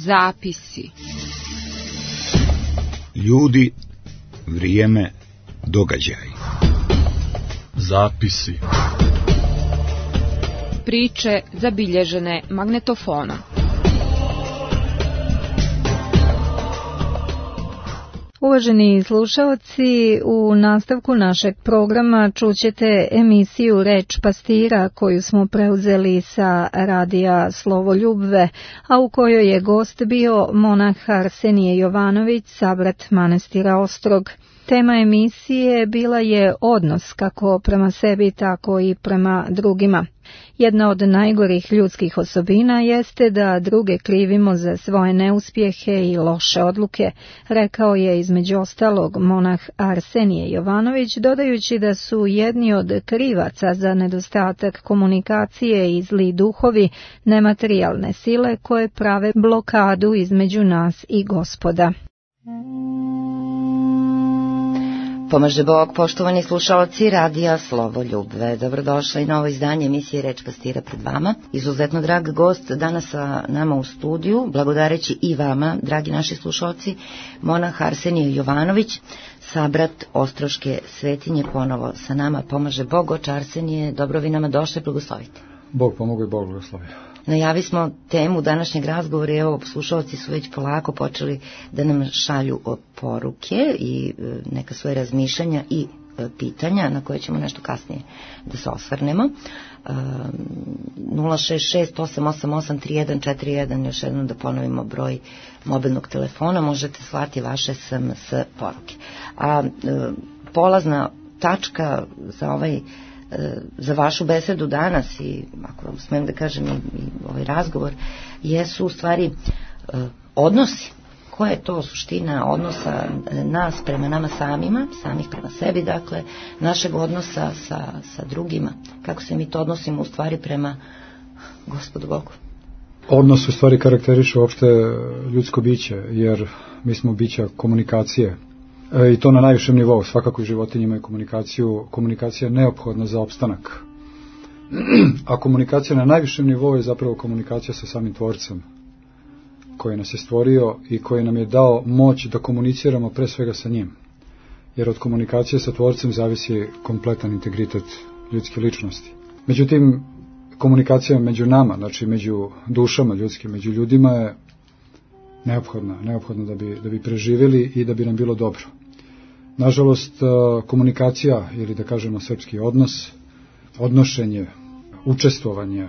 Zapisi. Ljudi, vrijeme, događaj. Zapisi. Priče zabilježene magnetofonom. Uvaženi slušaoci, u nastavku našeg programa čućete emisiju Reč pastira koju smo preuzeli sa radija Slovoljubve, a u kojoj je gost bio monah Arsenije Jovanović, sabrat manastira Ostrog. Tema emisije bila je odnos kako prema sebi, tako i prema drugima. Jedna od najgorih ljudskih osobina jeste da druge krivimo za svoje neuspjehe i loše odluke, rekao je između ostalog monah Arsenije Jovanović, dodajući da su jedni od krivaca za nedostatak komunikacije i zli duhovi nematerijalne sile koje prave blokadu između nas i Gospoda. Pomaže Bog, poštovani slušalci radija Slovoljubve. Dobrodošli na novo izdanje emisije Reč pastira pred vama. Izuzetno drag gost danas sa nama u studiju, blagodareći i vama, dragi naši slušalci, monah Arsenije Jovanović, sabrat Ostroške svetinje, ponovo sa nama. Pomaže Bog, oče Arsenije, dobro vi nama došli, blagoslovite. Bog pomogu i Bog blagoslovi. Najavi smo temu današnjeg razgovora i evo, slušalci su već polako počeli da nam šalju poruke i neka svoje razmišljanja i pitanja na koje ćemo nešto kasnije da se osvrnemo. 066-888-3141, još jednom da ponovimo broj mobilnog telefona, možete slati vaše SMS poruke. A polazna tačka za vašu besedu danas i, ako vam smijem da kažem, i ovaj razgovor, jesu u stvari odnosi. Koja je to suština odnosa nas prema nama samima, samih prema sebi, dakle, našeg odnosa sa drugima? Kako se mi to odnosimo u stvari prema Gospodu Bogu? Odnos u stvari karakteriše uopšte ljudsko biće, jer mi smo bića komunikacije. I to na najvišem nivou, svakako i životinje imaju komunikaciju. Komunikacija je neophodna za opstanak. A komunikacija na najvišem nivou je zapravo komunikacija sa samim Tvorcem, koji nas je stvorio i koji nam je dao moć da komuniciramo pre svega sa njim. Jer od komunikacije sa Tvorcem zavisi kompletan integritet ljudske ličnosti. Međutim, komunikacija među nama, znači među dušama ljudskim, među ljudima je neophodna da bi preživjeli i da bi nam bilo dobro. Nažalost, komunikacija, ili da kažemo srpski odnos, odnošenje, učestvovanje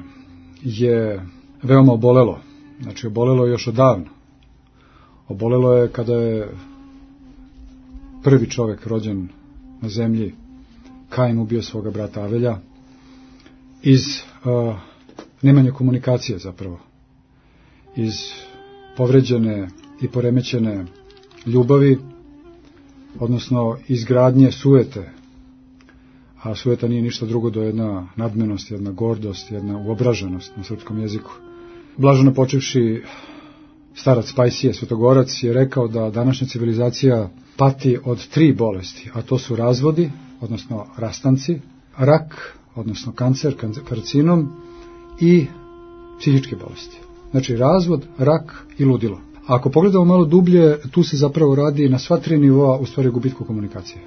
je veoma obolelo. Znači, obolelo je još odavno. Obolelo je kada je prvi čovjek rođen na zemlji, Kain ubio svoga brata Avelja, iz nemanja komunikacije zapravo, iz povređene i poremećene ljubavi, odnosno izgradnje sujete, a sujeta nije ništa drugo do jedna nadmenost, jedna gordost, jedna uobraženost na srpskom jeziku. Blaženo počevši starac Pajsije, Svetogorac, je rekao da današnja civilizacija pati od 3 bolesti, a to su razvodi, odnosno rastanci, rak, odnosno kancer, karcinom i psihičke bolesti. Znači razvod, rak i ludilo. A ako pogledamo malo dublje, tu se zapravo radi na sva 3 nivoa u stvari gubitku komunikacije.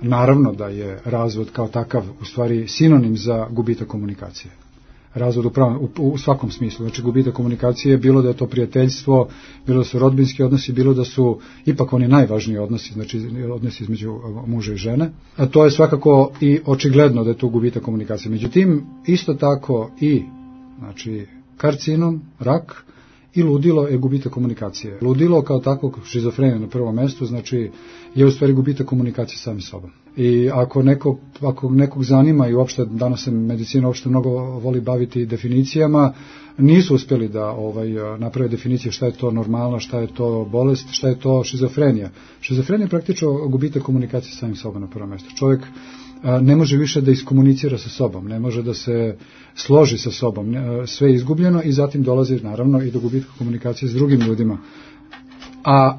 Naravno da je razvod kao takav u stvari sinonim za gubitak komunikacije. Razvod u svakom smislu, znači gubitak komunikacije, bilo da je to prijateljstvo, bilo da su rodbinski odnosi, bilo da su ipak oni najvažniji odnosi, znači odnosi između muža i žene. A to je svakako i očigledno da je to gubitak komunikacije. Međutim, isto tako i znači karcinom, rak i ludilo je gubitak komunikacije. Ludilo kao takvog, šizofrenija na prvom mjestu, znači je u stvari gubitak komunikacije sami sobom. I ako nekog zanima, i uopšte danas se medicina uopšte mnogo voli baviti definicijama, nisu uspjeli da naprave definicije šta je to normalna, šta je to bolest, šta je to šizofrenija. Šizofrenija je praktično gubitak komunikacije samim sobom na prvom mjestu. Čovjek ne može više da iskomunicira sa sobom, ne može da se složi sa sobom, sve je izgubljeno i zatim dolazi naravno i do gubitka komunikacije s drugim ljudima. A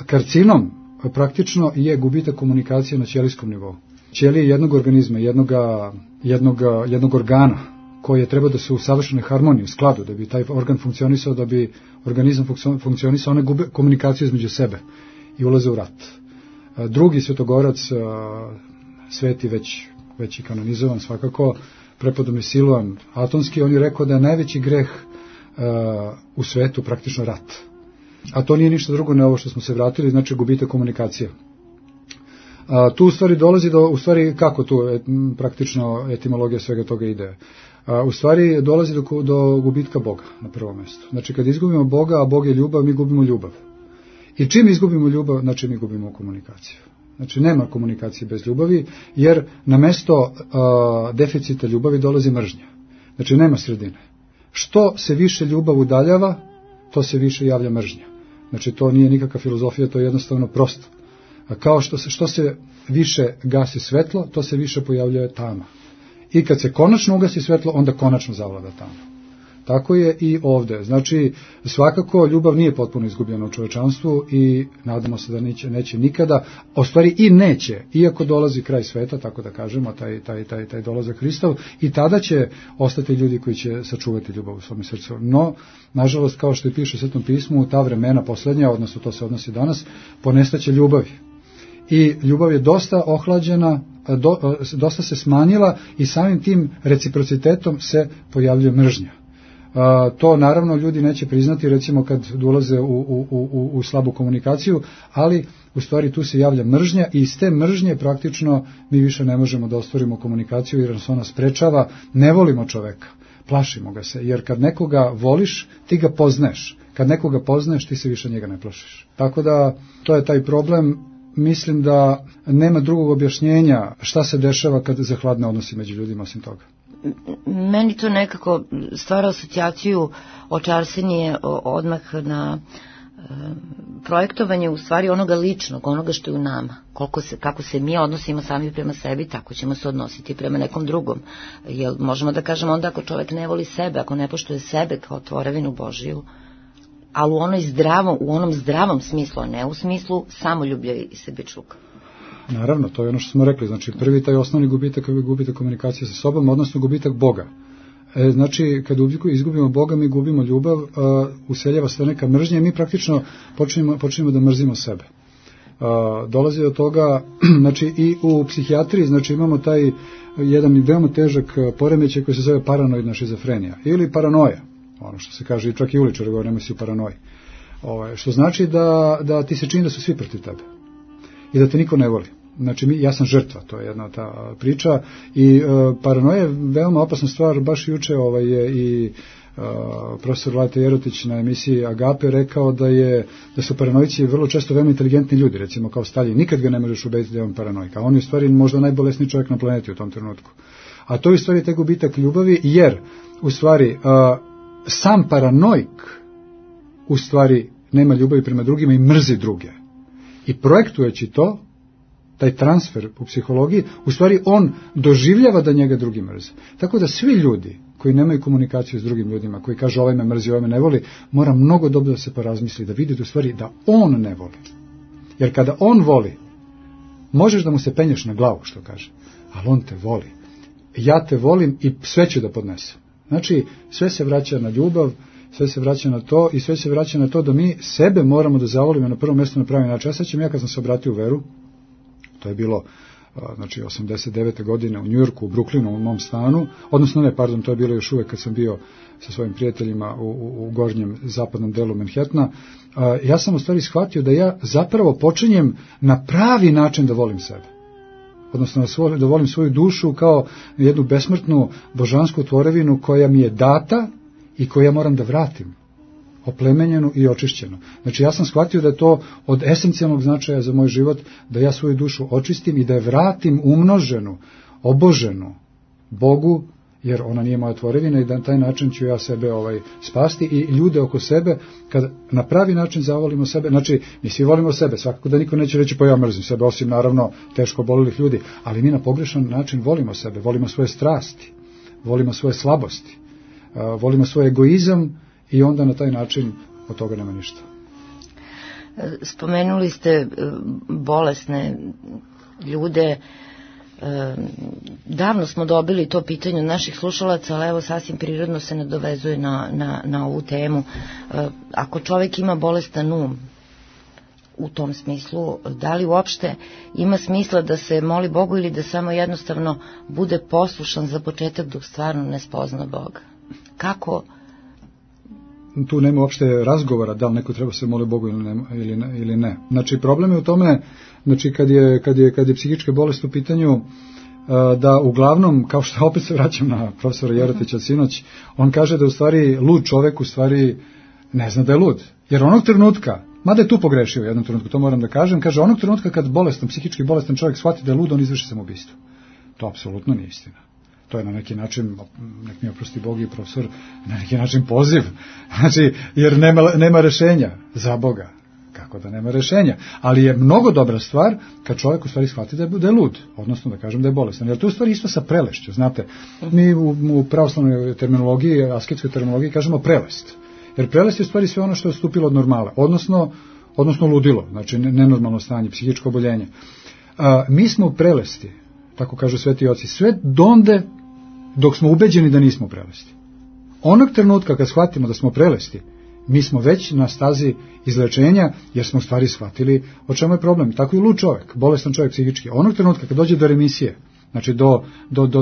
karcinom praktično je gubitak komunikacije na ćelijskom nivou. Ćelije jednog organizma, jednog organa koje treba da su u savršenoj harmoniji, u skladu, da bi taj organ funkcionisao, da bi organizam funkcionisao, one gube komunikaciju između sebe i ulaze u rat. Drugi svetogorac, sveti već i kanonizovan svakako, prepodobni Siloan Atonski, on je rekao da je najveći greh u svetu praktično rat. A to nije ništa drugo nego ovo što smo se vratili, znači gubitak komunikacije. Tu u stvari dolazi do, u stvari kako tu praktično etimologija svega toga ide? U stvari dolazi do gubitka Boga na prvom mjestu. Znači kad izgubimo Boga, a Bog je ljubav, mi gubimo ljubav. I čim izgubimo ljubav, znači mi gubimo komunikaciju. Znači nema komunikacije bez ljubavi, jer na mesto deficita ljubavi dolazi mržnja. Znači nema sredine. Što se više ljubav udaljava, to se više javlja mržnja. Znači to nije nikakva filozofija, to je jednostavno prosto. A kao što se više gasi svetlo, to se više pojavljuje tama. I kad se konačno ugasi svetlo, onda konačno zavlada tama. Tako je i ovdje. Znači, svakako ljubav nije potpuno izgubljena u čovečanstvu i nadamo se da neće nikada, a u stvari i neće, iako dolazi kraj sveta, tako da kažemo, taj dolazak Hristov, i tada će ostati ljudi koji će sačuvati ljubav u svom srcu. No, nažalost, kao što i piše u Svetom pismu, ta vremena posljednja, odnosno to se odnosi danas, ponestaće ljubavi. I ljubav je dosta ohlađena, dosta se smanjila i samim tim reciprocitetom se pojavljuje mržnja. To naravno ljudi neće priznati, recimo kad dolaze u slabu komunikaciju, ali u stvari tu se javlja mržnja i iz te mržnje praktično mi više ne možemo da ostvarimo komunikaciju jer nas ona sprečava, ne volimo čoveka, plašimo ga se, jer kad nekoga voliš, ti ga poznaješ, kad nekoga poznaješ, ti se više njega ne plašiš. Tako da to je taj problem. Mislim da nema drugog objašnjenja šta se dešava kad zahladne odnosi među ljudima osim toga. Meni to nekako stvara asocijaciju očarsenije odmah na projektovanje u stvari onoga ličnog, onoga što je u nama. Kako se mi odnosimo sami prema sebi, tako ćemo se odnositi prema nekom drugom. Jer možemo da kažemo onda ako čovjek ne voli sebe, ako ne poštuje sebe kao tvorevinu Božiju, ali u onom zdravom smislu, a ne u smislu samoljublja i sebičluka. Naravno, to je ono što smo rekli, znači prvi taj osnovni gubitak je gubitak komunikacije sa sobom, odnosno gubitak Boga. Znači, kad izgubimo Boga, mi gubimo ljubav, useljava se neka mržnja i mi praktično počinjemo da mrzimo sebe. Dolazi do toga, znači i u psihijatriji, znači imamo taj jedan veoma težak poremećaj koji se zove paranoidna šizofrenija ili paranoja, ono što se kaže, čak i uličari govore, nemoj si u paranoji. Što znači da ti se čini da su svi protiv tebe i da te niko ne voli. Znači, ja sam žrtva, to je jedna ta priča i paranoja je veoma opasna stvar, baš juče je i profesor Lajta Jerotić na emisiji Agape rekao da su paranoici vrlo često veoma inteligentni ljudi, recimo kao Staljin, nikad ga ne možeš ubediti da je on paranoik, a on je u stvari možda najbolesniji čovjek na planeti u tom trenutku. A to je u stvari taj gubitak ljubavi, jer u stvari sam paranoik u stvari nema ljubavi prema drugima i mrzi druge. I projektujući to, taj transfer u psihologiji, u stvari on doživljava da njega drugi mrze. Tako da svi ljudi koji nemaju komunikaciju s drugim ljudima, koji kažu ovaj me mrzi, ovaj me ne voli, mora mnogo dobro da se porazmisli, da vidi u stvari da on ne voli. Jer kada on voli, možeš da mu se penješ na glavu, što kaže, ali on te voli. Ja te volim i sve ću da podnesem. Znači, sve se vraća na ljubav, sve se vraća na to i sve se vraća na to da mi sebe moramo da zavolimo na prvom mjestu na pravi način. Ja sećam, kad sam se obratio u veru, to je bilo znači 89. godine u Njujorku, u Brooklynu, u mom stanu, to je bilo još uvek kad sam bio sa svojim prijateljima u gornjem zapadnom delu Manhattana. Ja sam u stvari shvatio da ja zapravo počinjem na pravi način da volim sebe. Odnosno da volim svoju dušu kao jednu besmrtnu božansku tvorevinu koja mi je data i koju ja moram da vratim, oplemenjenu i očišćenu. Znači ja sam shvatio da je to od esencijalnog značaja za moj život, da ja svoju dušu očistim i da je vratim umnoženu, oboženu Bogu, jer ona nije moja tvorevina i da na taj način ću ja sebe spasti i ljude oko sebe, kad na pravi način zavolimo sebe, znači mi svi volimo sebe, svakako da niko neće reći pa ja mrzim sebe, osim naravno teško obolelih ljudi, ali mi na pogrešan način volimo sebe, volimo svoje strasti, volimo svoje slabosti, volimo svoj egoizam i onda na taj način od toga nema ništa. Spomenuli ste bolesne ljude, Davno smo dobili to pitanje od naših slušalaca, ali evo sasvim prirodno se nadovezuje na ovu temu. Ako čovjek ima bolestan um, u tom smislu, da li uopšte ima smisla da se moli Bogu ili da samo jednostavno bude poslušan za početak dok stvarno ne spozna Boga? Kako? Tu nema uopšte razgovora da li neko treba se moli Bogu ili ne. Znači, problem je u tome, znači, kad je psihička bolest u pitanju, da uglavnom, kao što opet se vraćam na profesora Jerotića sinoć, on kaže da u stvari lud čovek u stvari ne zna da je lud. Jer onog trenutka, mada je tu pogrešio u jednom trenutku, to moram da kažem, kaže onog trenutka kad psihički bolestan čovjek shvati da je lud, on izvrši samoubistvo. To apsolutno nije istina. To je na neki način, nek mi oprosti Bog i profesor, na neki način poziv. Znači, jer nema rešenja za Boga. Kako da nema rešenja? Ali je mnogo dobra stvar kad čovjek u stvari shvati da je lud, odnosno da kažem da je bolestan. Jer to u stvari isto sa prelešću, znate. Mi u pravoslavnoj terminologiji, asketskoj terminologiji kažemo prelest. Jer prelest je u stvari sve ono što je odstupilo od normale, odnosno ludilo, znači nenormalno stanje, psihičko oboljenje. Mi smo u prelesti, tako kažu sveti oci, sve donde dok smo ubeđeni da nismo prelesti. Onog trenutka kad shvatimo da smo prelesti, mi smo već na stazi izlečenja, jer smo u stvari shvatili o čemu je problem. Tako i lud čovjek, bolestan čovjek psihički. Onog trenutka kad dođe do remisije, znači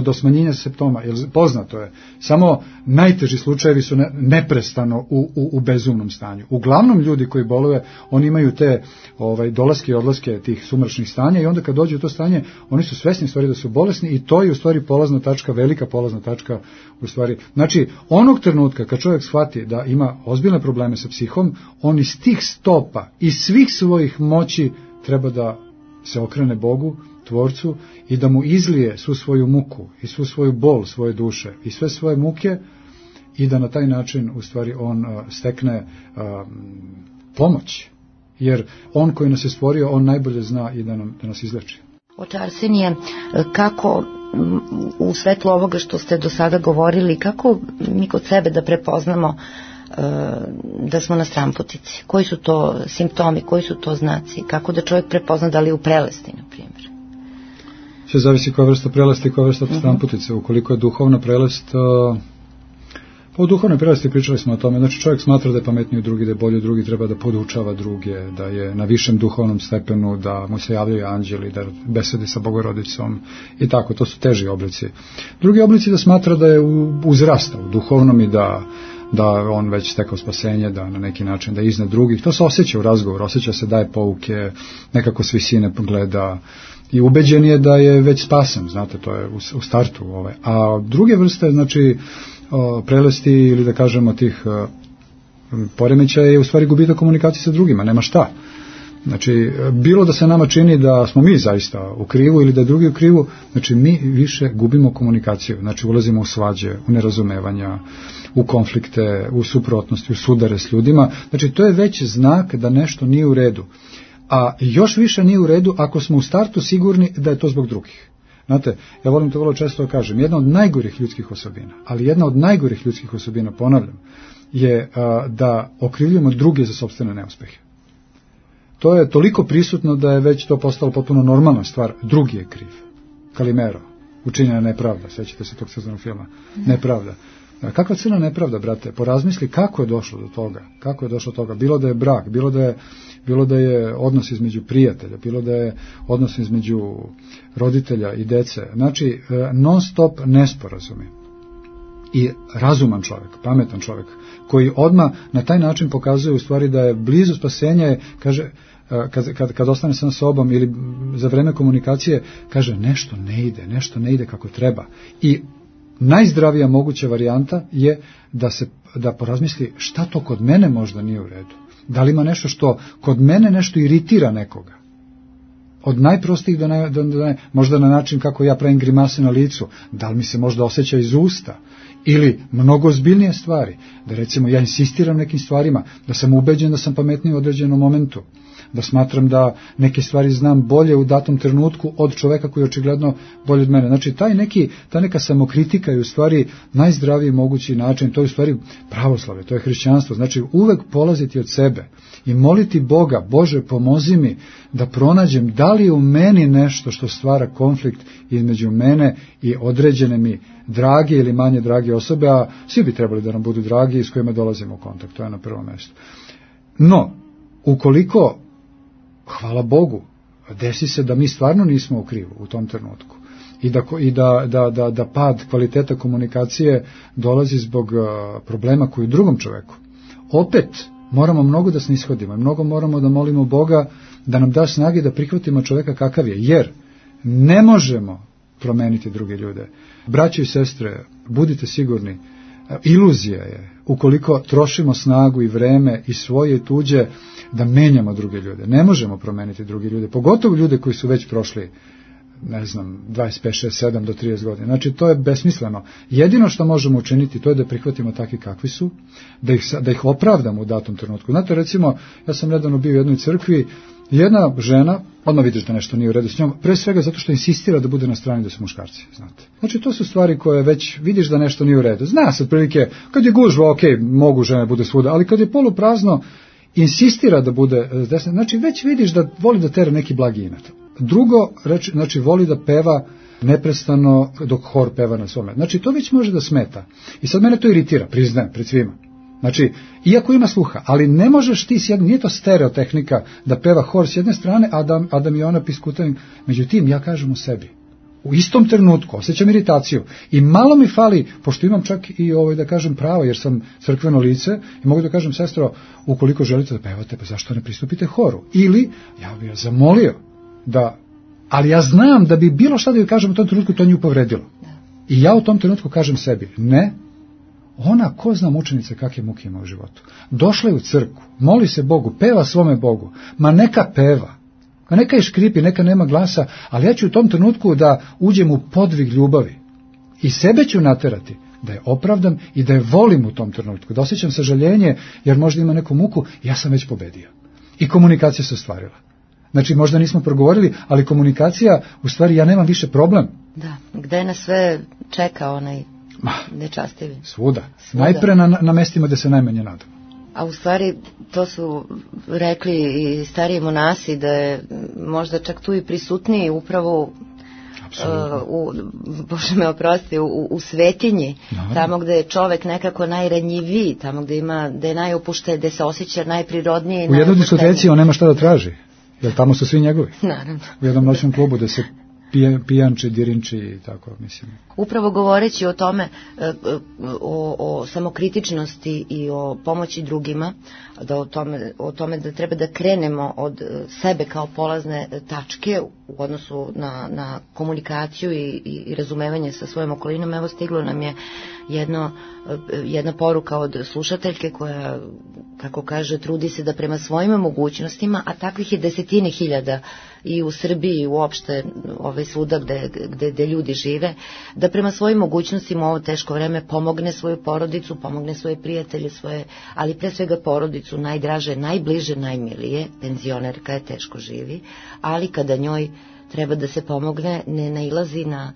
do smanjenja simptoma, jer poznato je, samo najteži slučajevi su neprestano u bezumnom stanju. Uglavnom ljudi koji boluju, oni imaju te dolaske i odlaske tih sumračnih stanja i onda kad dođu u to stanje, oni su svesni u stvari da su bolesni i to je u stvari polazna tačka, velika polazna tačka u stvari. Znači, onog trenutka kad čovjek shvati da ima ozbiljne probleme sa psihom, on iz tih stopa, iz svih svojih moći treba da se okrene Bogu, Tvorcu, i da mu izlije svu svoju muku i svu svoju bol svoje duše i sve svoje muke i da na taj način u stvari on stekne pomoć. Jer on koji nas je stvorio, on najbolje zna i da nas izleči. Oče Arsenije, kako u svetlu ovoga što ste do sada govorili, kako mi kod sebe da prepoznamo da smo na stranputici? Koji su to simptomi, koji su to znaci? Kako da čovjek prepozna da li je u prelesti, na primjer? Sve zavisi koja vrsta prelesti i koja vrsta stranputice. Ukoliko je duhovna prelest, pa u duhovnoj prelesti pričali smo o tome, znači čovjek smatra da je pametniji od drugi, da je bolji od drugi, treba da podučava druge, da je na višem duhovnom stepenu, da mu se javljaju anđeli, da besedi sa Bogorodicom i tako, to su teži oblici. Drugi oblici da smatra da je uzrastao u duhovnom i da on već stekao spasenje, da na neki način da je iznad drugih. To se osjeća u razgovoru, osjeća se daje pouke, nekako s visine gleda i ubeđen je da je već spasen, znate, to je u startu. A druge vrste, znači prelesti ili da kažemo tih poremećaja je u stvari gubitak komunikacije sa drugima, nema šta. Znači, bilo da se nama čini da smo mi zaista u krivu ili da je drugi u krivu, znači mi više gubimo komunikaciju, znači ulazimo u svađe, u nerazumevanja, u konflikte, u suprotnosti, u sudare s ljudima, znači to je već znak da nešto nije u redu. A još više nije u redu ako smo u startu sigurni da je to zbog drugih. Znate, ja volim to vrlo često da kažem, jedna od najgorih ljudskih osobina, ali jedna od najgorih ljudskih osobina, ponavljam, je da okrivljujemo druge za sopstvene neuspehe. To je toliko prisutno da je već to postalo potpuno normalna stvar. Drugi je kriv. Kalimero, učinjena nepravda, sećate se tog crtanog filma, nepravda. Kakva crna nepravda, brate? Porazmisli kako je došlo do toga. Kako je došlo do toga? Bilo da je brak, bilo da je odnos između prijatelja, bilo da je odnos između roditelja i dece. Znači, non stop nesporazumi. I razuman čovjek, pametan čovjek, koji odmah na taj način pokazuje u stvari da je blizu spasenja, kaže, kad ostane sam sobom ili za vreme komunikacije, kaže nešto ne ide kako treba. I najzdravija moguća varijanta je da porazmisli šta to kod mene možda nije u redu. Da li ima nešto što kod mene nešto iritira nekoga. Od najprostijih možda na način kako ja pravim grimase na licu, da li mi se možda osjeća iz usta, Ili mnogo ozbiljnije stvari, da recimo ja insistiram nekim stvarima, da sam ubeđen da sam pametniji u određenom momentu, da smatram da neke stvari znam bolje u datom trenutku od čoveka koji je očigledno bolje od mene. Znači, ta neka samokritika je u stvari najzdraviji mogući način, to je u stvari pravoslavlje, to je hrišćanstvo. Znači, uvek polaziti od sebe i moliti Boga, Bože, pomozi mi da pronađem da li je u meni nešto što stvara konflikt između mene i određene mi drage ili manje drage osobe, a svi bi trebali da nam budu dragi i s kojima dolazimo u kontakt, to je na prvom mjestu. No, ukoliko, hvala Bogu, desi se da mi stvarno nismo u krivu u tom trenutku i da pad kvaliteta komunikacije dolazi zbog problema koji je drugom čoveku. Opet moramo mnogo da snishodimo i mnogo moramo da molimo Boga da nam da snage da prihvatimo čoveka kakav je, jer ne možemo promeniti druge ljude. Braćo i sestre, budite sigurni, iluzija je ukoliko trošimo snagu i vreme i svoje i tuđe da menjamo druge ljude. Ne možemo promeniti druge ljude, pogotovo ljude koji su već prošli, 25, 6, 7 do 30 godina. Znači, to je besmisleno. Jedino što možemo učiniti, to je da prihvatimo takvi kakvi su, da ih opravdamo u datom trenutku. Znate, recimo, ja sam nedavno bio u jednoj crkvi, jedna žena, odmah vidiš da nešto nije u redu s njom, pre svega zato što insistira da bude na strani da su muškarci, znate. Znači, to su stvari koje već vidiš da nešto nije u redu. Zna se otprilike, kad je gužva, ok, mogu žene bude svuda, ali kad je poluprazno, insistira da bude desna, znači već vidiš da voli da tera neki blagi inat. Drugo, znači voli da peva neprestano dok hor peva na svome. Znači, to već može da smeta. I sad mene to iritira, priznajem, pred svima. Znači, iako ima sluha, ali ne možeš ti, nije to stereotehnika da peva hor s jedne strane, a da mi ona piskuta. Međutim, ja kažem u sebi, u istom trenutku osjećam iritaciju i malo mi fali, pošto imam čak i da kažem pravo, jer sam crkveno lice i mogu da kažem, sestro, ukoliko želite da pevate, pa zašto ne pristupite horu? Ili, ja bih zamolio da, ali ja znam da bi bilo šta da joj kažem u tom trenutku, to nju povredilo. I ja u tom trenutku kažem sebi, ne, ona, ko zna mučenice kakve muke ima u životu. Došla je u crkvu, moli se Bogu, peva svome Bogu, ma neka peva, ma neka je škripi, neka nema glasa, ali ja ću u tom trenutku da uđem u podvig ljubavi i sebe ću naterati da je opravdam i da je volim u tom trenutku, da osjećam sažaljenje jer možda ima neku muku, ja sam već pobedio. I komunikacija se ostvarila. Znači, možda nismo progovorili, ali komunikacija, u stvari, ja nemam više problem. Da, gde nas sve čeka onaj nečastivi? Svuda. Najpre na mestima gde se najmanje nadamo. A u stvari, to su rekli i stariji monasi, da je možda čak tu i prisutniji upravo Bože me oprosti, u svetinji, tamo gde je čovek nekako najranjiviji, tamo gde je najopušteniji, gde se osjeća najprirodnije. U jednoj diskoteci on nema šta da traži, jer tamo su svi njegovi. Naravno. U jednom noćnom klubu da se pijanči, dirinči i tako, mislim. Upravo govoreći o tome, o samokritičnosti i o pomoći drugima, da o tome da treba da krenemo od sebe kao polazne tačke u odnosu na komunikaciju i razumevanje sa svojom okolinom. Evo, stiglo nam je jedna poruka od slušateljke koja, kako kaže, trudi se da prema svojim mogućnostima, a takvih je desetine hiljada i u Srbiji i uopšte svuda gde ljudi žive, da prema svojim mogućnostima u ovo teško vreme pomogne svoju porodicu, pomogne svoje prijatelje, ali pre svega porodicu, najdraže, najbliže, najmilije. Penzionerka je, teško živi, ali kada njoj treba da se pomogne, ne nailazi na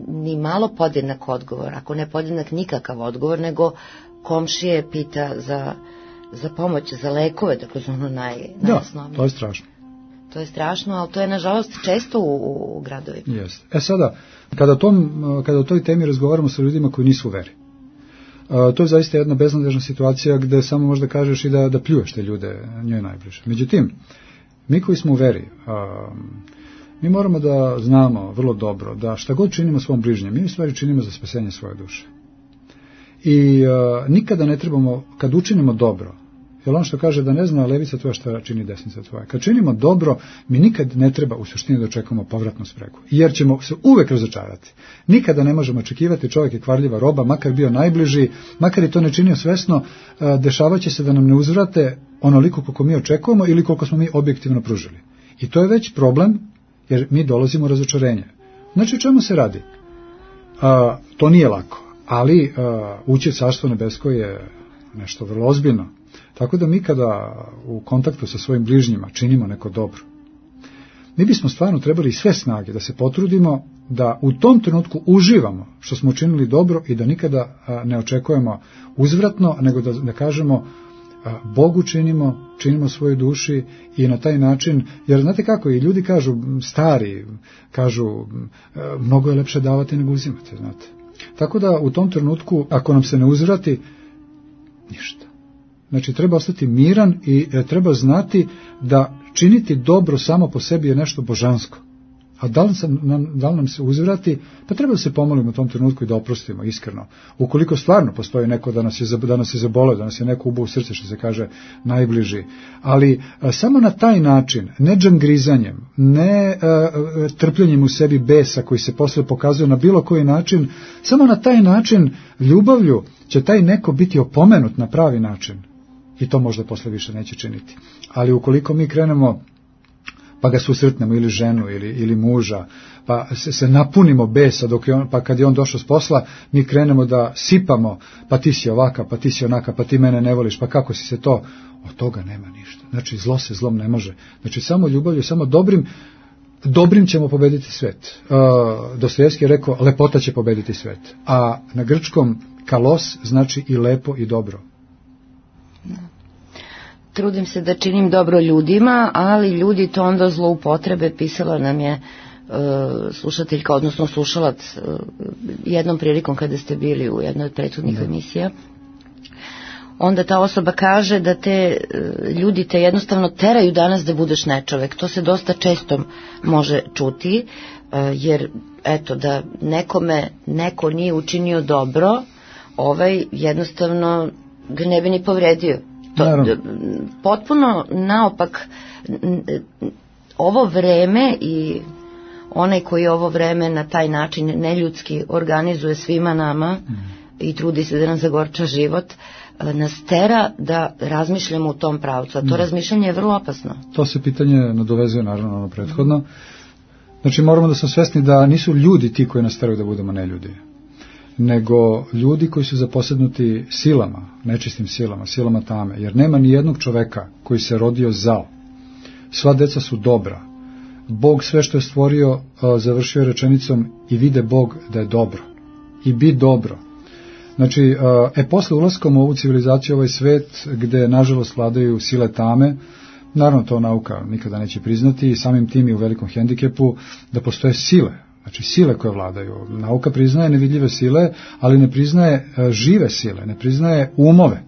ni malo podjednak odgovor, ako ne podjednak nikakav odgovor, nego komšije pita za pomoć, za lekove, dakle za ono najosnovnije. Da, to je strašno. To je strašno, ali to je nažalost često u gradovima. Jeste. Sada, kada o toj temi razgovaramo sa ljudima koji nisu u veri, to je zaista jedna beznadežna situacija gde samo možda kažeš i da pljuješ te ljude njoj najbliže. Međutim, mi koji smo u veri, mi moramo da znamo vrlo dobro da šta god činimo svom bližnjem, mi u stvari činimo za spasenje svoje duše. I nikada ne trebamo, kad učinimo dobro, jer on što kaže da ne zna levica tvoja šta čini desnica tvoja. Kad činimo dobro, mi nikad ne treba u suštini da očekujemo povratnu spregu, jer ćemo se uvek razočarati. Nikada ne možemo očekivati, čovjek je kvarljiva roba, makar bio najbliži, makar i to ne činio svesno, dešavaće se da nam ne uzvrate onoliko koliko mi očekujemo ili koliko smo mi objektivno pružili. I to je već problem, jer mi dolazimo u razočarenje. Znači, o čemu se radi? to nije lako, ali ući u Carstvo nebesko je nešto vrlo ozbiljno. Tako da mi kada u kontaktu sa svojim bližnjima činimo neko dobro, mi bismo stvarno trebali sve snage da se potrudimo da u tom trenutku uživamo što smo učinili dobro i da nikada ne očekujemo uzvratno, nego da kažemo Bogu činimo svojoj duši i na taj način, jer znate kako, i ljudi kažu, stari, kažu, mnogo je lepše davati nego uzimati, znate. Tako da u tom trenutku, ako nam se ne uzvrati, ništa. Znači, treba ostati miran i treba znati da činiti dobro samo po sebi je nešto božansko. A da li nam se uzvrati, pa treba da se pomolimo u tom trenutku i da oprostimo iskreno. Ukoliko stvarno postoji neko da nas je zaboleo, da nas je neko ubao u srce, što se kaže najbliži. Ali samo na taj način, ne džangrizanjem, ne trpljenjem u sebi besa koji se posle pokazuje na bilo koji način, samo na taj način ljubavlju će taj neko biti opomenut na pravi način. I to možda posle više neće činiti. Ali ukoliko mi krenemo pa ga susretnemo ili ženu ili muža, pa se napunimo besa pa kad je on došao s posla, mi krenemo da sipamo, pa ti si ovaka, pa ti si onaka, pa ti mene ne voliš, pa kako si se to, od toga nema ništa. Znači zlo se zlom ne može. Znači samo ljubavlju, samo dobrim ćemo pobediti svet. Dostojevski je rekao, lepota će pobediti svet. A na grčkom kalos znači i lepo i dobro. Trudim se da činim dobro ljudima, ali ljudi to onda zloupotrebe. Pisala nam je slušateljka, odnosno slušalac, jednom prilikom kada ste bili u jednoj od prethodnih emisija. Onda ta osoba kaže da te ljudi te jednostavno teraju danas da budeš nečovek. To se dosta često može čuti, jer eto da nekome neko nije učinio dobro, jednostavno ga ne bi ni povredio. Potpuno naopak, ovo vreme i onaj koji ovo vreme na taj način neljudski organizuje svima nama i trudi se da nam zagorča život, nas tera da razmišljamo u tom pravcu, a to razmišljanje je vrlo opasno. To se pitanje nadovezuje naravno ono prethodno. Znači moramo da smo svesni da nisu ljudi ti koji nas teraju da budemo neljudi, nego ljudi koji su zaposednuti silama, nečistim silama tame, jer nema ni jednog čoveka koji se rodio zao. Sva deca su dobra. Bog sve što je stvorio završio je rečenicom i vide Bog da je dobro. I bi dobro. Znači, posle ulaskom u ovu civilizaciju, ovaj svet, gde nažalost vladaju sile tame, naravno to nauka nikada neće priznati i samim tim je u velikom hendikepu da postoje sile. Znači sile koje vladaju. Nauka priznaje nevidljive sile, ali ne priznaje žive sile, ne priznaje umove.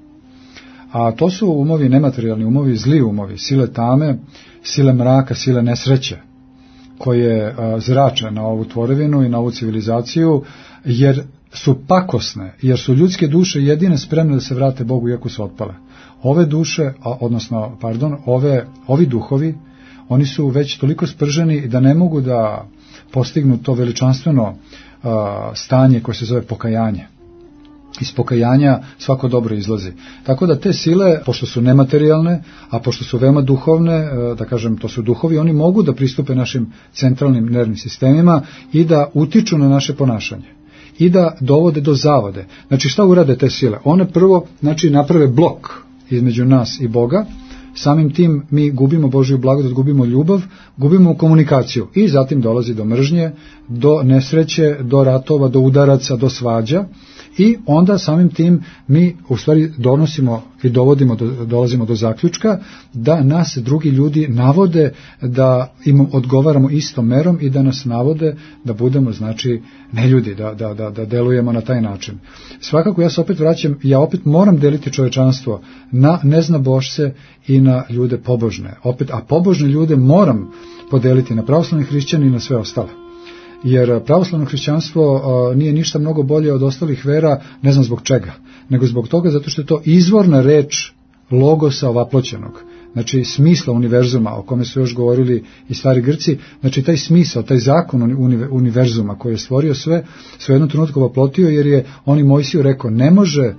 A to su umovi, nematerijalni umovi, zli umovi, sile tame, sile mraka, sile nesreće, koje zrače na ovu tvorevinu i na ovu civilizaciju, jer su pakosne, jer su ljudske duše jedine spremne da se vrate Bogu iako su otpale. Ove duše, ovi duhovi, oni su već toliko sprženi da ne mogu da postignu to veličanstveno stanje koje se zove pokajanje. Iz pokajanja svako dobro izlazi. Tako da te sile, pošto su nematerijalne, a pošto su veoma duhovne, da kažem, to su duhovi, oni mogu da pristupe našim centralnim nervnim sistemima i da utiču na naše ponašanje. I da dovode do zavode. Znači šta urade te sile? One prvo, naprave blok između nas i Boga. Samim tim mi gubimo Božju blagodat, gubimo ljubav, gubimo komunikaciju i zatim dolazi do mržnje, do nesreće, do ratova, do udaraca, do svađa i onda samim tim mi u stvari donosimo i dolazimo do zaključka da nas drugi ljudi navode da im odgovaramo istom merom i da nas navode da budemo neljudi, da delujemo na taj način. Svakako ja se opet vraćam, ja opet moram deliti čovečanstvo na neznabošce i na ljude pobožne. A pobožne ljude moram podeliti na pravoslavne hrišćane i na sve ostale. Jer pravoslavno hrišćanstvo nije ništa mnogo bolje od ostalih vera, ne znam zbog čega, nego zbog toga zato što je to izvorna reč logosa ovaploćenog, znači smisla univerzuma o kome su još govorili i stari Grci, znači taj smisao, taj zakon univerzuma koji je stvorio sve u jednom trenutku ovaplotio, jer je on i Mojsiju rekao, ne može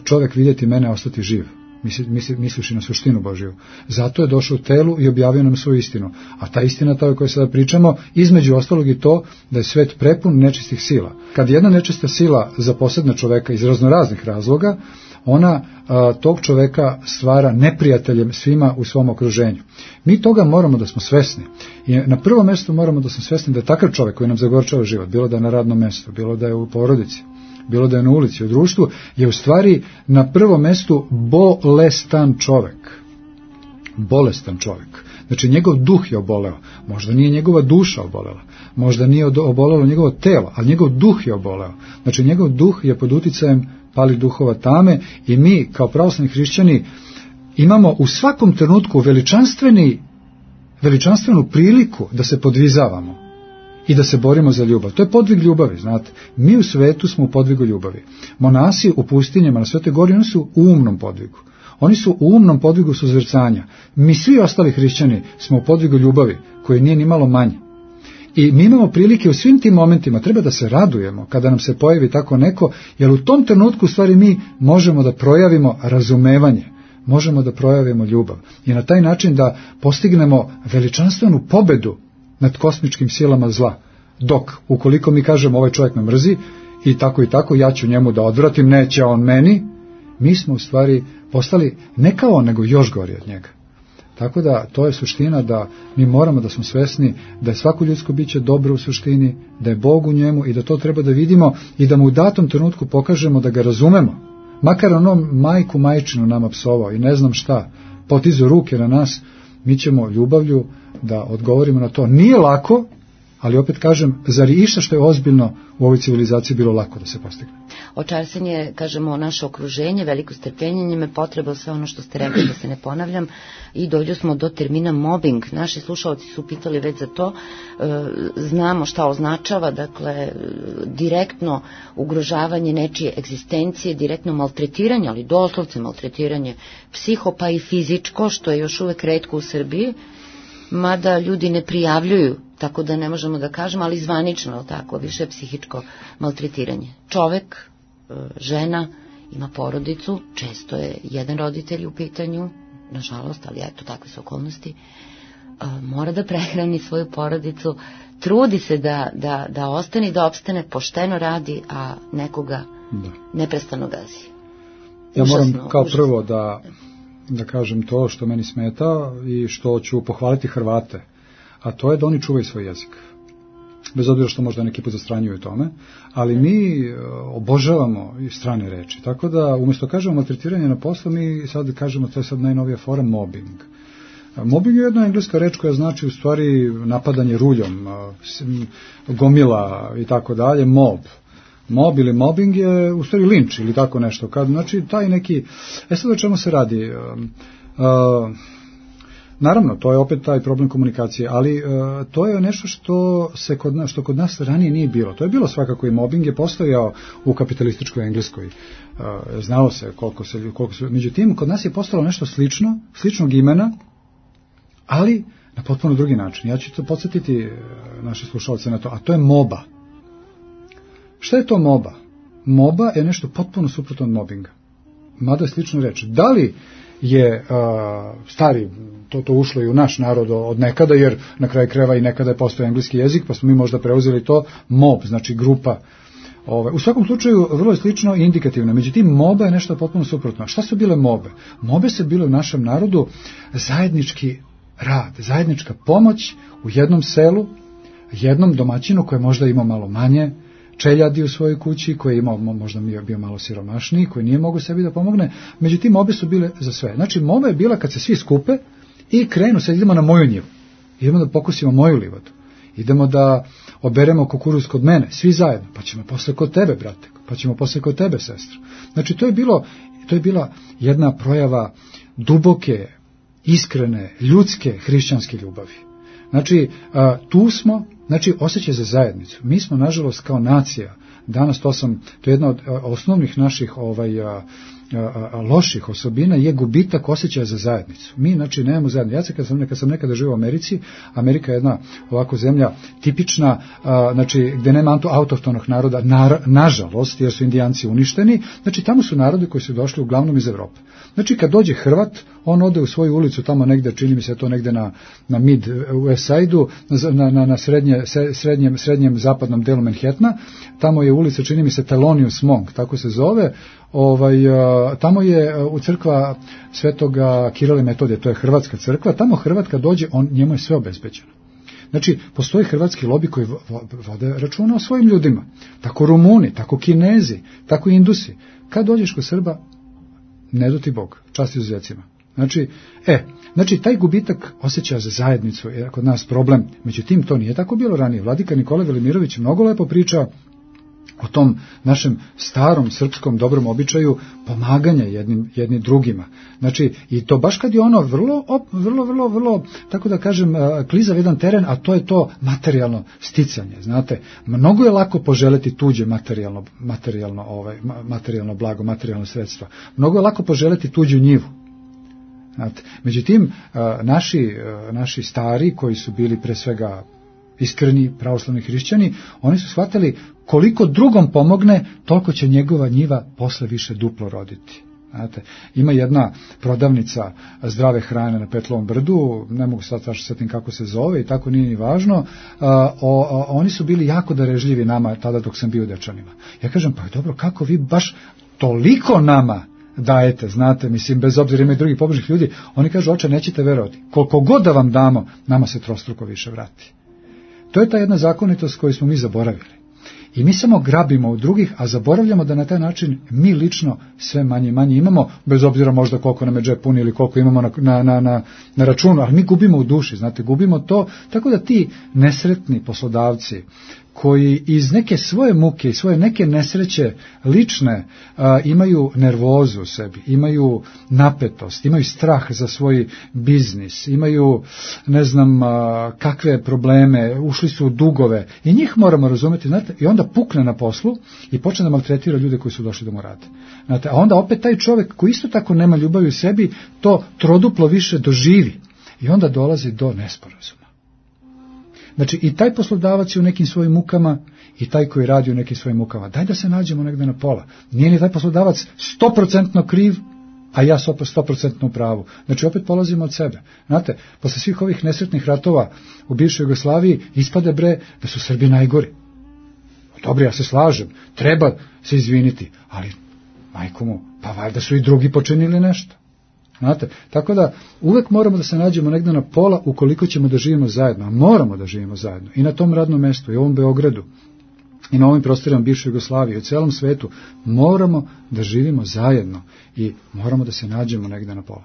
čovjek vidjeti mene, a ostati živ. misliši na suštinu Božiju. Zato je došao u telu i objavio nam svoju istinu. A ta istina, ta o kojoj sada pričamo, između ostalog i to da je svet prepun nečistih sila. Kad jedna nečista sila zaposedne čoveka iz raznoraznih razloga, ona tog čoveka stvara neprijateljem svima u svom okruženju. Mi toga moramo da smo svesni. I na prvo mjesto moramo da smo svesni da je takav čovek koji nam zagorčava život, bilo da je na radnom mjestu, bilo da je u porodici, bilo da je na ulici, u društvu, je u stvari na prvom mjestu bolestan čovek. Bolestan čovek. Znači njegov duh je oboleo. Možda nije njegova duša obolela. Možda nije obolelo njegovo telo, ali njegov duh je oboleo. Znači njegov duh je pod uticajem palih duhova tame i mi kao pravoslavni hrišćani imamo u svakom trenutku veličanstvenu priliku da se podvizavamo i da se borimo za ljubav. To je podvig ljubavi, znate. Mi u svetu smo u podvigu ljubavi. Monasi u pustinjama na Svetoj gori, oni su u umnom podvigu. Oni su u umnom podvigu suzvrcanja. Mi svi ostali hrišćani smo u podvigu ljubavi, koji nije ni malo manje. I mi imamo prilike u svim tim momentima, treba da se radujemo kada nam se pojavi tako neko, jer u tom trenutku u stvari mi možemo da projavimo razumevanje, možemo da projavimo ljubav i na taj način da postignemo veličanstvenu pobedu nad kosmičkim silama zla. Dok, ukoliko mi kažemo ovaj čovjek me mrzi i tako, ja ću njemu da odvratim, neće on meni, mi smo u stvari postali ne kao on, nego još gori od njega. Tako da to je suština, da mi moramo da smo svesni da je svako ljudsko biće dobro u suštini, da je Bog u njemu i da to treba da vidimo i da mu u datom trenutku pokažemo da ga razumemo. Makar onom majku majčinu nama psovao i ne znam šta, potizo ruke na nas, mi ćemo ljubavlju da odgovorimo na to. Nije lako, ali opet kažem, zar je išta što je ozbiljno u ovoj civilizaciji bilo lako da se postigne? Očarstvenje, kažemo, naše okruženje, veliko strpljenje, njime potreba, sve ono što ste rekli, da se ne ponavljam, i dođu smo do termina mobbing. Naši slušalci su pitali već za to, znamo šta označava, dakle, direktno ugrožavanje nečije egzistencije, direktno maltretiranje, ali doslovce maltretiranje psiho pa i fizičko, što je još uvek retko u Srbiji, mada ljudi ne prijavljuju, tako da ne možemo da kažemo, ali zvanično tako, više psihičko maltretiranje. Čovek, žena, ima porodicu, često je jedan roditelj u pitanju, nažalost, ali eto, takve su okolnosti, mora da prehrani svoju porodicu, trudi se da ostane i da opstane, pošteno radi, a nekoga neprestano gazi. Ja moram kao prvo da kažem to što meni smeta i što ću pohvaliti Hrvate, a to je da oni čuvaju svoj jezik. Bez obzira što možda neki put zastranjuju tome, ali mi obožavamo i strane reči. Tako da umjesto kažemo maltretiranje na poslu, mi sad kažemo, to je sad najnovija fora, mobbing. Mobbing je jedna engleska reč koja znači u stvari napadanje ruljom, gomila i tako dalje, mob ili mobbing je u stvari linč ili tako nešto. Znači taj neki, sad o čemu se radi? Naravno, to je opet taj problem komunikacije, ali to je nešto što kod nas ranije nije bilo. To je bilo svakako i mobbing je postojao u kapitalističkoj Engleskoj. Znalo se koliko su. Međutim, kod nas je postalo nešto sličnog imena, ali na potpuno drugi način. Ja ću to podsjetiti naše slušalce na to, a to je moba. Šta je to moba? Moba je nešto potpuno suprotno od mobinga. Mada je slično reč. Da li je stari, to ušlo i u naš narod od nekada, jer na kraju krajeva i nekada je postao engleski jezik, pa smo mi možda preuzeli to mob, znači grupa. U svakom slučaju vrlo je slično i indikativno. Međutim, moba je nešto potpuno suprotno. Šta su bile mobe? Mobe su bile u našem narodu zajednički rad, zajednička pomoć u jednom selu, jednom domaćinu koji možda imao malo manje čeljadi u svojoj kući, koji je imao, možda bio malo siromašniji, koji nije mogao sebi da pomogne, međutim mobe su bile za sve. Znači moba je bila kad se svi skupe i krenu, sad idemo na moju njivu, idemo da pokusimo moju livadu, idemo da oberemo kukuruz kod mene, svi zajedno, pa ćemo posle kod tebe, brate, pa ćemo posle kod tebe, sestra. Znači to je bila jedna projava duboke, iskrene, ljudske, hrišćanske ljubavi. Znači, tu smo, znači, osjećaj za zajednicu. Mi smo, nažalost, kao nacija, danas to je jedna od osnovnih naših loših osobina je gubitak osjećaja za zajednicu. Mi, znači, nemamo zajednicu. Ja kad sam nekada živio u Americi, Amerika je jedna ovako zemlja tipična, znači, gde nema autohtonog naroda, nažalost, jer su Indijanci uništeni, znači, tamo su narodi koji su došli uglavnom iz Evrope. Znači, kad dođe Hrvat, on ode u svoju ulicu tamo negde, čini mi se to negde na mid West Side-u, na srednjem zapadnom delu Manhattana, tamo je ulica, čini mi se, Thelonious Monk, tako se zove, tamo je u crkva Svetoga Kirila i Metodija, to je hrvatska crkva, tamo Hrvat kad dođe, njemu je sve obezbeđeno. Znači, postoji hrvatski lobi koji vode računa o svojim ljudima, tako Rumuni, tako Kinezi, tako Indusi. Kad dođeš kod Srba, ne do ti Bog, čast izuzecima. Znači, taj gubitak osjećaja za zajednicu je kod nas problem. Međutim, to nije tako bilo ranije. Vladika Nikola Velimirović mnogo lepo priča o tom našem starom srpskom dobrom običaju pomaganja jedni drugima. Znači, i to baš kad je ono vrlo, tako da kažem, klizav jedan teren, a to je to materijalno sticanje. Znate, mnogo je lako poželeti tuđe materijalno blago, materijalno sredstva. Mnogo je lako poželeti tuđu njivu. Znate, međutim, naši stari koji su bili pre svega iskreni pravoslavni hrišćani, oni su shvatili koliko drugom pomogne, toliko će njegova njiva posle više duplo roditi. Znate, ima jedna prodavnica zdrave hrane na Petlovom brdu, ne mogu sad setim kako se zove i tako nije ni važno, oni su bili jako darežljivi nama tada dok sam bio u Dečanima. Ja kažem, pa dobro, kako vi baš toliko nama dajete, znate, mislim, bez obzira ima i drugih pobožnih ljudi, oni kažu, oče, nećete verovati, koliko god da vam damo, nama se trostruko više vrati. To je ta jedna zakonitost koju smo mi zaboravili. I mi samo grabimo od drugih, a zaboravljamo da na taj način mi lično sve manje i manje imamo, bez obzira možda koliko nam je džep puni ili koliko imamo na računu, ali mi gubimo u duši, znate, gubimo to, tako da ti nesretni poslodavci koji iz neke svoje muke i svoje neke nesreće lične imaju nervozu u sebi, imaju napetost, imaju strah za svoj biznis, imaju ne znam kakve probleme, ušli su u dugove i njih moramo razumjeti, znate, i onda pukne na poslu i počne da maltretira ljude koji su došli da mu rade. Znate, a onda opet taj čovjek koji isto tako nema ljubavi u sebi, to troduplo više doživi i onda dolazi do nesporazuma. Znači, i taj poslodavac je u nekim svojim mukama i taj koji radi u nekim svojim mukama. Daj da se nađemo negde na pola. Nije ni taj poslodavac 100% kriv, a ja 100% u pravu. Znači, opet polazimo od sebe. Znate, posle svih ovih nesretnih ratova u bivšoj Jugoslaviji ispade da su Srbi najgori. Dobro, ja se slažem, treba se izviniti, ali, majko mu, pa valjda su i drugi počinili nešto. Znate, tako da uvek moramo da se nađemo negde na pola ukoliko ćemo da živimo zajedno, a moramo da živimo zajedno i na tom radnom mestu i u ovom Beogradu i na ovim prostorima bivše Jugoslavije i u celom svetu moramo da živimo zajedno i moramo da se nađemo negde na pola.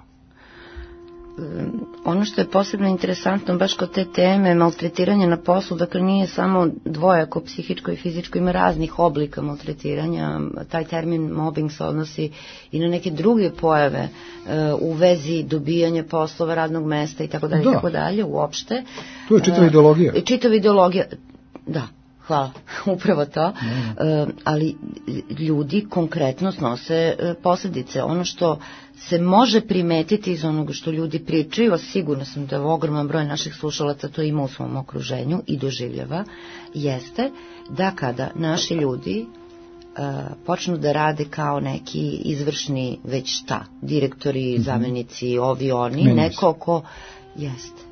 Ono što je posebno interesantno baš kod te teme maltretiranja na poslu, dakle nije samo dvojako psihičko i fizičko, ima raznih oblika maltretiranja, taj termin mobbing se odnosi i na neke druge pojave u vezi dobijanja poslova, radnog mesta i tako dalje uopšte. To je čitava ideologija. Čitava ideologija, da. Hvala, upravo to, ali ljudi konkretno snose posljedice. Ono što se može primetiti iz onoga što ljudi pričaju, a sigurno sam da ogroman broj naših slušalaca to ima u svom okruženju i doživljava, jeste da kada naši ljudi počnu da rade kao neki izvršni već šta, direktori, zamenici, ovi oni, neko ko jeste.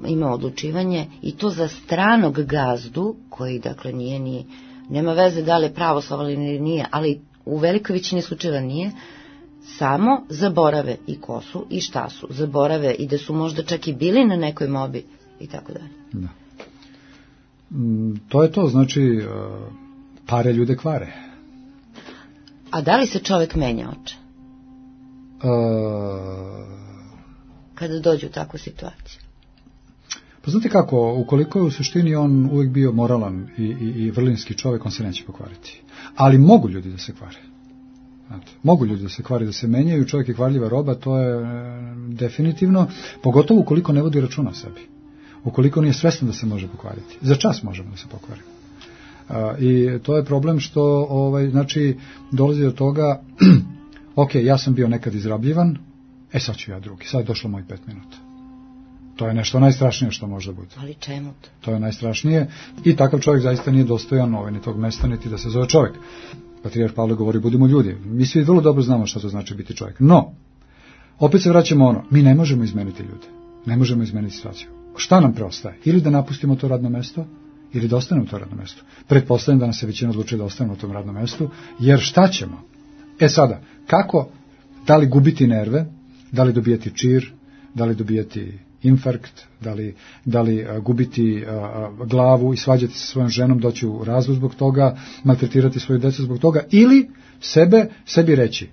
Ima odlučivanje i to za stranog gazdu koji dakle nije ni nema veze da li je pravoslavan ili nije, ali u velikoj većini slučajeva nije, samo zaborave i ko su i šta su, zaborave i da su možda čak i bili na nekoj mobi i tako dalje. Da. To je to, znači pare ljude kvare. A da li se čovjek menja, oče? Kada dođe u takvu situaciju? Pa znate kako, ukoliko je u suštini on uvijek bio moralan i vrlinski čovjek, on se neće pokvariti. Ali mogu ljudi da se kvare. Znate, mogu ljudi da se kvare, da se menjaju, čovjek je kvarljiva roba, to je definitivno, pogotovo ukoliko ne vodi računa o sebi. Ukoliko nije svestan da se može pokvariti. Za čas možemo da se pokvarimo. I to je problem što znači dolazi do toga, ok, ja sam bio nekad izrabljivan, sad ću ja drugi, sad je došlo moj 5 minuta. To je nešto najstrašnije što može bude. Ali čemu to? To je najstrašnije i takav čovjek zaista nije dostojan ni tog mesta, niti da se zove čovjek. Patrijarh Pavle govori, budimo ljudi. Mi svi vrlo dobro znamo što to znači biti čovjek. No, opet se vraćamo mi ne možemo izmeniti ljude. Ne možemo izmeniti situaciju. Šta nam preostaje? Ili da napustimo to radno mesto, ili da ostanemo u to radno mesto. Pretpostavljam da nas se većina odlučuje da ostanemo u tom radnom mestu, jer šta ćemo? Sada, kako, da li gubiti nerve, da li dobijati čir, da li dobijati infarkt, da li gubiti glavu i svađati se svojom ženom, doći u razvod zbog toga, maltretirati svoju djecu zbog toga, ili sebi reći,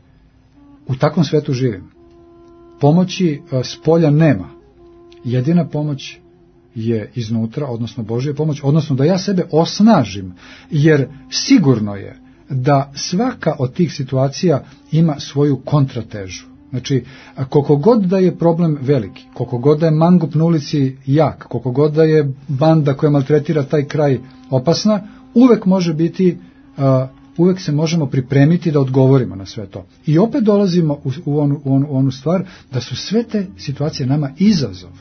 u takvom svetu živim. Pomoći s polja nema. Jedina pomoć je iznutra, odnosno Božja pomoć, odnosno da ja sebe osnažim, jer sigurno je da svaka od tih situacija ima svoju kontratežu. Znači, koliko god da je problem veliki, koliko god da je mangup na ulici jak, koliko god da je banda koja maltretira taj kraj opasna, uvek može biti, uvek se možemo pripremiti da odgovorimo na sve to. I opet dolazimo u onu stvar da su sve te situacije nama izazov,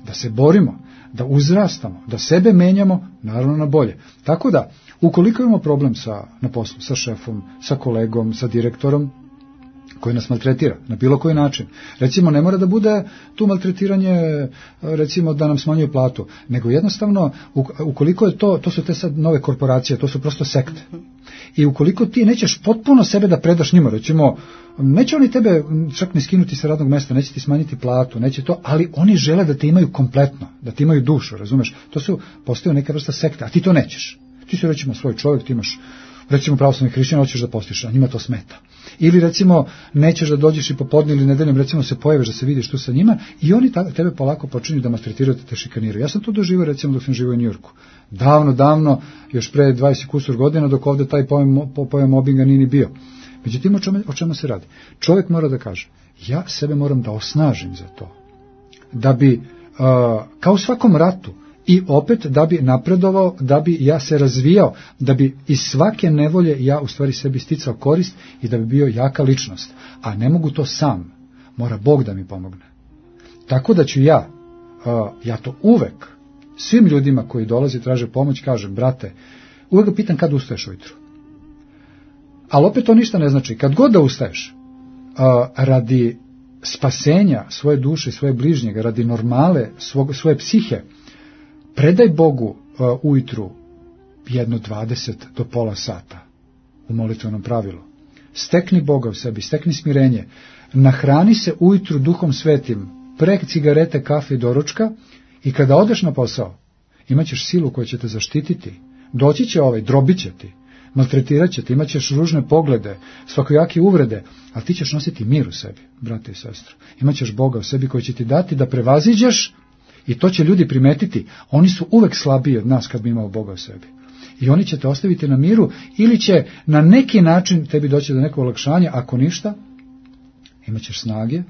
da se borimo, da uzrastamo, da sebe menjamo, naravno na bolje. Tako da, ukoliko imamo problem na poslu, sa šefom, sa kolegom, sa direktorom, koji nas maltretira na bilo koji način. Recimo, ne mora da bude tu maltretiranje, recimo da nam smanjuje platu, nego jednostavno, ukoliko je to su te sad nove korporacije, to su prosto sekte. I ukoliko ti nećeš potpuno sebe da predaš njima, recimo, neće oni tebe čak ni skinuti sa radnog mesta, neće ti smanjiti platu, neće to, ali oni žele da te imaju kompletno, da ti imaju dušu, razumeš? Postoje neka vrsta sekta, a ti to nećeš. Ti si, recimo, svoj čovjek, ti imaš, recimo, pravoslavni hrišćan, hoćeš da postiš, a njima to smeta. Ili, recimo, nećeš da dođeš i popodne ili nedeljom, recimo, se pojaviš da se vidiš tu sa njima i oni tebe polako počinju da maltretiraju, te šikaniraju. Ja sam to doživio, recimo, dok sam živio u Njujorku. Davno, još pre 20 kusur godina, dok ovde taj pojam mobinga nije ni bio. Međutim, o čemu se radi? Čovjek mora da kaže, ja sebe moram da osnažim za to. Da bi, kao u svakom ratu, i opet da bi napredovao, da bi ja se razvijao, da bi iz svake nevolje ja u stvari sebi sticao korist i da bi bio jaka ličnost. A ne mogu to sam, mora Bog da mi pomogne. Tako da ću ja to uvek, svim ljudima koji dolaze i traže pomoć, kažem, brate, uvek ga pitam kad ustaješ ujutru. Ali opet to ništa ne znači. Kad god da ustaješ, radi spasenja svoje duše, svoje bližnjega, radi normale, svoje psihe, predaj Bogu ujutru 1:20 do pola sata u molitvenom pravilu. Stekni Boga u sebi, stekni smirenje, nahrani se ujutru Duhom Svetim, pre cigarete, kafe i doručka i kada odeš na posao, imat ćeš silu koja će te zaštititi. Doći će drobit će ti, maltretirat će te, imat ćeš ružne poglede, svakojake uvrede, ali ti ćeš nositi mir u sebi, brate i sestre. Imat ćeš Boga u sebi koji će ti dati da prevaziđeš. I to će ljudi primetiti. Oni su uvek slabiji od nas kad bi imao Boga u sebi. I oni će te ostaviti na miru ili će na neki način tebi doći do nekog olakšanja. Ako ništa, imat ćeš snage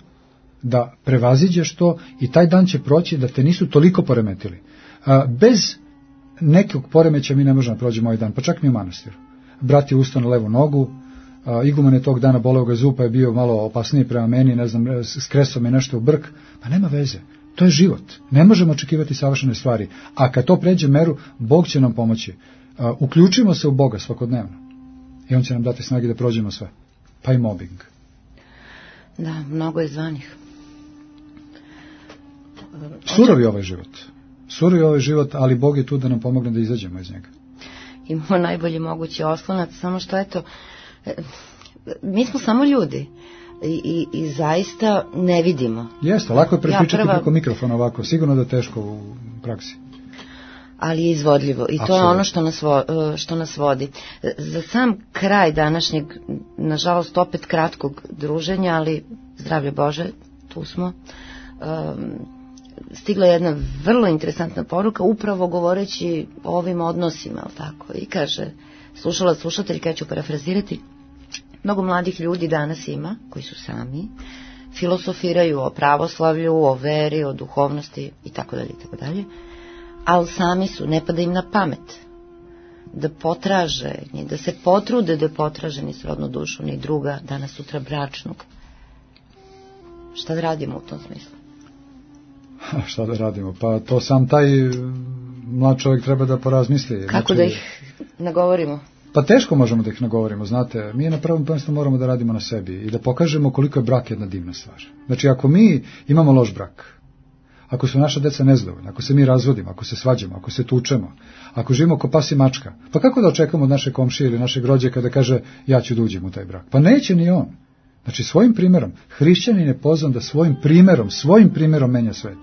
da prevaziđeš to i taj dan će proći da te nisu toliko poremetili. Bez nekog poremeća mi ne možemo da prođemo ovaj dan, pa čak mi u manastiru. Brat je ustao na levu nogu, iguman je tog dana boleo ga zub, pa je bio malo opasniji prema meni, ne znam, skresao me nešto u brk, pa nema veze. To je život. Ne možemo očekivati savršene stvari. A kad to pređe meru, Bog će nam pomoći. Uključimo se u Boga svakodnevno. I On će nam dati snage da prođemo sve. Pa i mobbing. Da, mnogo je zvanih. Surovi ovaj život. Surovi ovaj život, ali Bog je tu da nam pomogne da izađemo iz njega. Imamo najbolji mogući oslonac, samo što mi smo samo ljudi. I zaista ne vidimo. Jeste, lako je prepričati preko mikrofona ovako, sigurno da je teško u praksi. Ali je izvodljivo i to je ono što nas vodi. Za sam kraj današnjeg, nažalost opet kratkog druženja, ali zdravlje Bože, tu smo, stigla je jedna vrlo interesantna poruka, upravo govoreći o ovim odnosima, tako, i kaže, slušateljka, ja ću parafrazirati, mnogo mladih ljudi danas ima, koji su sami, filosofiraju o pravoslavlju, o veri, o duhovnosti itd., ali sami su, ne pada im na pamet da potraže, da se potrude da potraže ni srodnu dušu, ni druga, danas sutra bračnog. Šta da radimo u tom smislu? Šta da radimo? Pa to sam taj mlad čovjek treba da porazmisli. Kako da ih nagovorimo? Pa teško možemo da ih nagovorimo, znate. Mi na prvom mjestu moramo da radimo na sebi i da pokažemo koliko je brak jedna divna stvar. Znači, ako mi imamo loš brak, ako su naša deca nezadovoljna, ako se mi razvodimo, ako se svađamo, ako se tučemo, ako živimo ko pas i mačka, pa kako da očekamo od naše komšije ili našeg rođaka da kaže ja ću da uđem u taj brak? Pa neće ni on. Znači, svojim primjerom, hrišćanin je pozvan da svojim primjerom menja svet.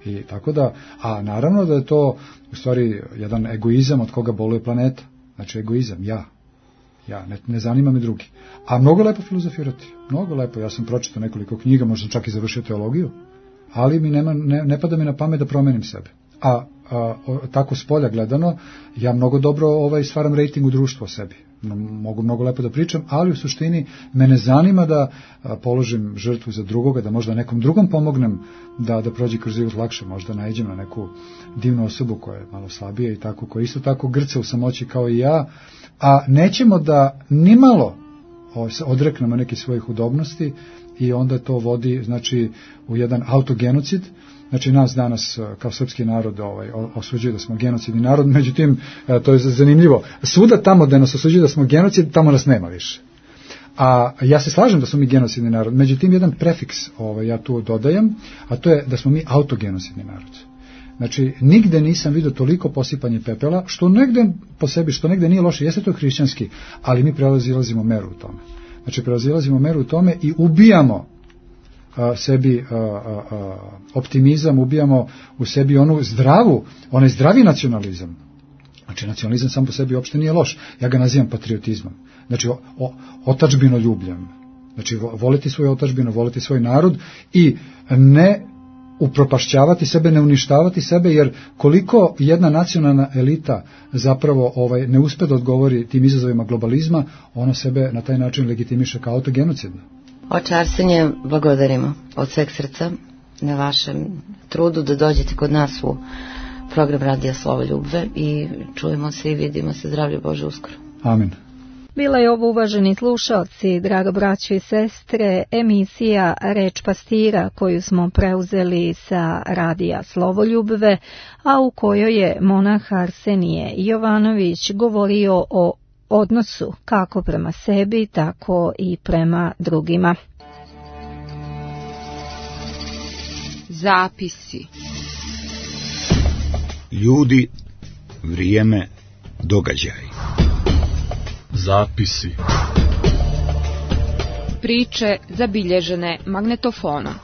I tako da, a naravno da je to u stvari jedan egoizam od koga boluje planeta. Znači, egoizam, ja, ne zanima me drugi. A mnogo lepo filozofirati, mnogo lepo. Ja sam pročitao nekoliko knjiga, možda čak i završio teologiju, ali mi ne pada mi na pamet da promenim sebe. A tako s polja gledano, ja mnogo dobro stvaram rejting u društvu o sebi. Mogu mnogo lepo da pričam, ali u suštini mene zanima da položim žrtvu za drugoga, da možda nekom drugom pomognem da prođe kroz život lakše, možda naiđem na neku divnu osobu koja je malo slabija i tako, koja isto tako grca u samoći kao i ja, a nećemo da nimalo odreknemo neke svojih udobnosti i onda to vodi, znači, u jedan autogenocid. Znači, nas danas kao srpski narod osuđuje da smo genocidni narod, međutim, to je zanimljivo. Svuda tamo da nas osuđuje da smo genocid, tamo nas nema više. A ja se slažem da smo mi genocidni narod, međutim, jedan prefiks ja tu dodajem, a to je da smo mi autogenocidni narod. Znači, nigde nisam vidio toliko posipanje pepela, što negde po sebi, što negde nije loše, jeste to hrišćanski, ali mi prelazilazimo meru u tome. Znači, prelazilazimo meru u tome i ubijamo sebi optimizam, ubijamo u sebi onaj zdravi nacionalizam. Znači, nacionalizam sam po sebi uopšte nije loš. Ja ga nazivam patriotizmom. Znači, otadžbinoljubljem. Znači, voliti svoju otadžbinu, voliti svoj narod i ne upropašćavati sebe, ne uništavati sebe, jer koliko jedna nacionalna elita zapravo ne uspe da odgovori tim izazovima globalizma, ona sebe na taj način legitimiše kao autogenocidna. Oče Arsenije, blagodarimo od sveg srca na vašem trudu da dođete kod nas u program Radija Slovo Ljubve i čujemo se i vidimo se, zdravlje Bože, uskoro. Amin. Bila je ovo, uvaženi slušalci, drago braćo i sestre, emisija Reč pastira koju smo preuzeli sa Radija Slovo Ljubve, a u kojoj je monah Arsenije Jovanović govorio o odnosu kako prema sebi, tako i prema drugima. Zapisi. Ljudi, vrijeme, događaj. Zapisi. Priče zabilježene magnetofonom.